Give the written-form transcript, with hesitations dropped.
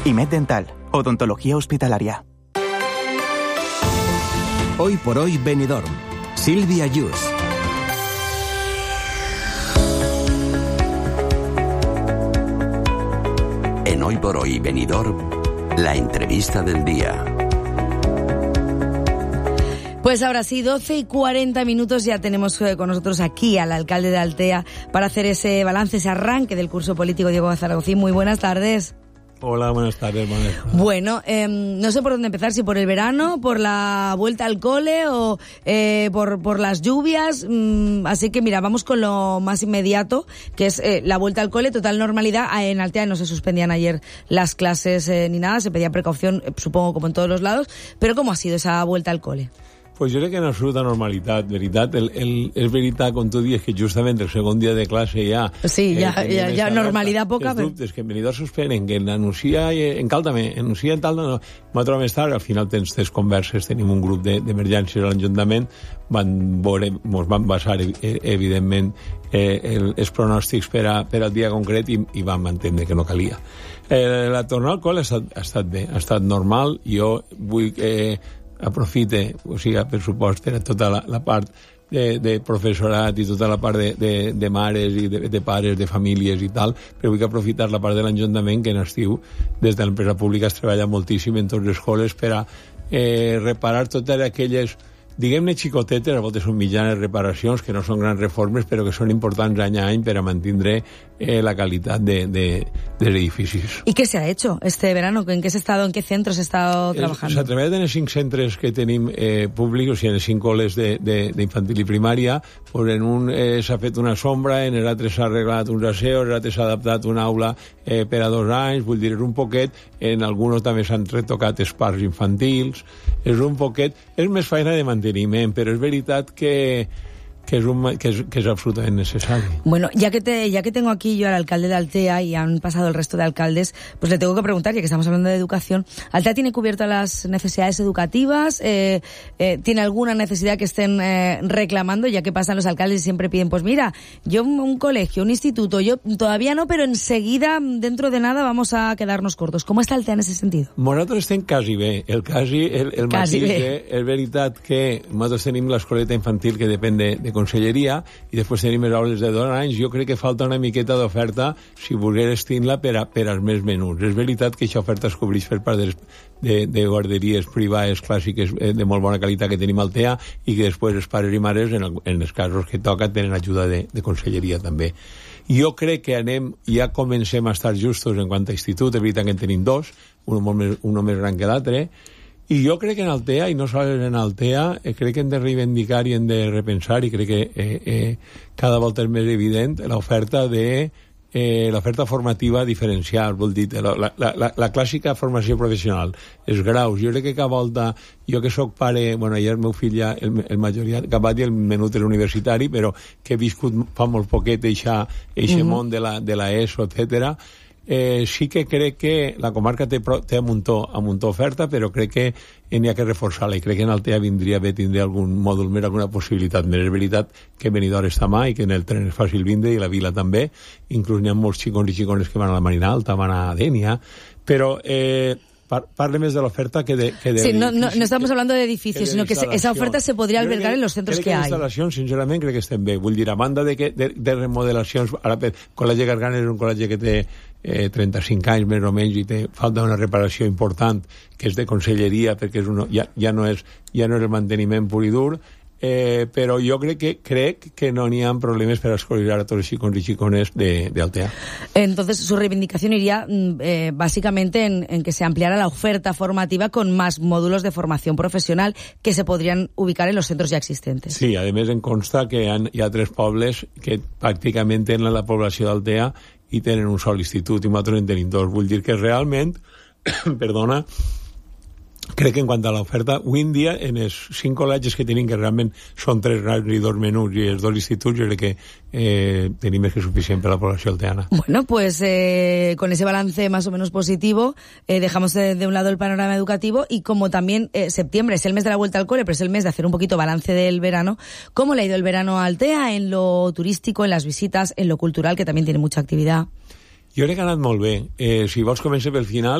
IMED Dental, odontología hospitalaria. Hoy por hoy Benidorm. Sílvia Yus. En Hoy por Hoy Benidorm, la entrevista del día. Pues ahora sí, 12:40, ya tenemos con nosotros aquí al alcalde de Altea para hacer ese balance, ese arranque del curso político. Diego Zaragozín, muy buenas tardes. Hola, buenas tardes, Vanessa. Bueno, no sé por dónde empezar, si por el verano, por la vuelta al cole o por las lluvias, así que mira, vamos con lo más inmediato, que es la vuelta al cole, total normalidad. En Altea no se suspendían ayer las clases ni nada, se pedía precaución, supongo como en todos los lados, pero ¿cómo ha sido esa vuelta al cole? Pues jo crec que en absoluta normalitat, veritat. És veritat, com tu dius, que justament el segon dia de classe ja... Sí, ja normalitat poca. Els dubtes que en Benidorm suspenen, que l'anuncia en cal també, anuncia en tal, no, m'ha trobat més tard, al final tens tres converses, tenim un grup d'emergències a l'Ajuntament, ens van basar, evidentment, els pronòstics per al dia concret i vam entendre que no calia. La tornada al col·le ha estat bé, ha estat normal. Jo vull aprofite, o sigui, per supost, per tota la part de professorat i tota la part de mares i de pares, de famílies i tal, però vull aprofitar la part de l'Ajuntament, que en estiu, des de l'empresa pública es treballa moltíssim en totes les escoles per a reparar totes aquelles, diguem-ne xicotetes, a voltes són mitjanes reparacions, que no són grans reformes, però que són importants any a any per a mantindre la calidad de edificios. ¿Y qué se ha hecho este verano? ¿En qué centros se ha estado trabajando? A través de los 5 centros que tenim públicos i en els 5 coles d'infantil i primària, pues en un s'ha fet una sombra, en l'altre s'ha arreglat uns aseos, en l'altre s'ha adaptat una aula per a 2 anys, vull dir, és un poquet, en alguns també s'han retocat els parcs infantils, és un poquet, és més feina de manteniment, però és veritat que es absolutamente necesario. Bueno, ya que tengo aquí yo al alcalde de Altea y han pasado el resto de alcaldes, pues le tengo que preguntar, ya que estamos hablando de educación, ¿Altea tiene cubiertas las necesidades educativas? ¿Tiene alguna necesidad que estén reclamando? Ya que pasan los alcaldes y siempre piden, pues mira, yo un colegio, un instituto, yo todavía no, pero enseguida, dentro de nada, vamos a quedarnos cortos. ¿Cómo está Altea en ese sentido? Nosaltres estem quasi bé. El mateix és veritat que nosaltres tenim l'escoleta infantil que depèn de conselleria i després tenim les aules de 2 anys. Jo crec que falta una miqueta d'oferta si volgués tenir-la per als més menuts. És veritat que aquesta oferta es cobreix per part de guarderies privades clàssiques de molt bona qualitat que tenim a Altea i que després els pares i mares, en els casos que toca, tenen ajuda de conselleria també. Jo crec que ja comencem a estar justos en quant a institut. És veritat que en tenim 2, un més gran que l'altre. I jo crec que en Altea, i no sols en Altea, crec que hem de reivindicar i hem de repensar, i crec que cada volta és més evident l'oferta l'oferta formativa diferencial, vol dir, la clàssica formació professional, els graus. Jo crec que cada volta, jo que soc pare, bueno, ja el meu fill ja, el majoria, acabat i el menut és universitari, però que he viscut fa molt poquet eixe món de la ESO, etcètera. Sí que crec que la comarca té a muntó oferta, però crec que n'hi ha que reforçar-la, i crec que en Altea vindria bé tindre algun mòdul més, alguna possibilitat més. És veritat que Benidorm està mà i que en el tren és fàcil vindre, i la vila també, inclús n'hi ha molts xicons i xicones que van a la Marina Alta, van a Dènia, però parle més de l'oferta que de sí, no estamos hablando de edificios, sino que esa oferta se podría albergar en los centros que hay. Instal·lacions, sincerament, crec que estem bé. Vull dir, a banda de remodelacions, ara el Col·legi Gargana és un col·legi que té 35 anys més o menys i falta una reparació important, que és de conselleria, perquè ja no és el manteniment pur i dur, però jo crec que no n'hi ha problemes per escollir a tots els xicons i xicones d'Altea. Entonces, su reivindicación iría básicamente en que se ampliara la oferta formativa con más módulos de formación profesional que se podrían ubicar en los centros ya existentes. Sí, a més em consta que hi ha 3 pobles que pràcticament tenen la població d'Altea i tenen un sol institut, i nosaltres en tenim 2. Vull dir que realment, perdona, crec que en quant a l'oferta, avui en dia, en els 5 col·legis que tenim, que realment són 3 grans i 2 menuts, i els 2 instituts, jo crec que tenim més que suficient per a la població alteana. Bueno, pues con ese balance más o menos positivo, dejamos de un lado el panorama educativo, y como también septiembre es el mes de la vuelta al cole, pero es el mes de hacer un poquito balance del verano, ¿cómo le ha ido el verano a Altea en lo turístico, en las visitas, en lo cultural, que también tiene mucha actividad? Jo crec que ha anat molt bé. Si vols començar pel final,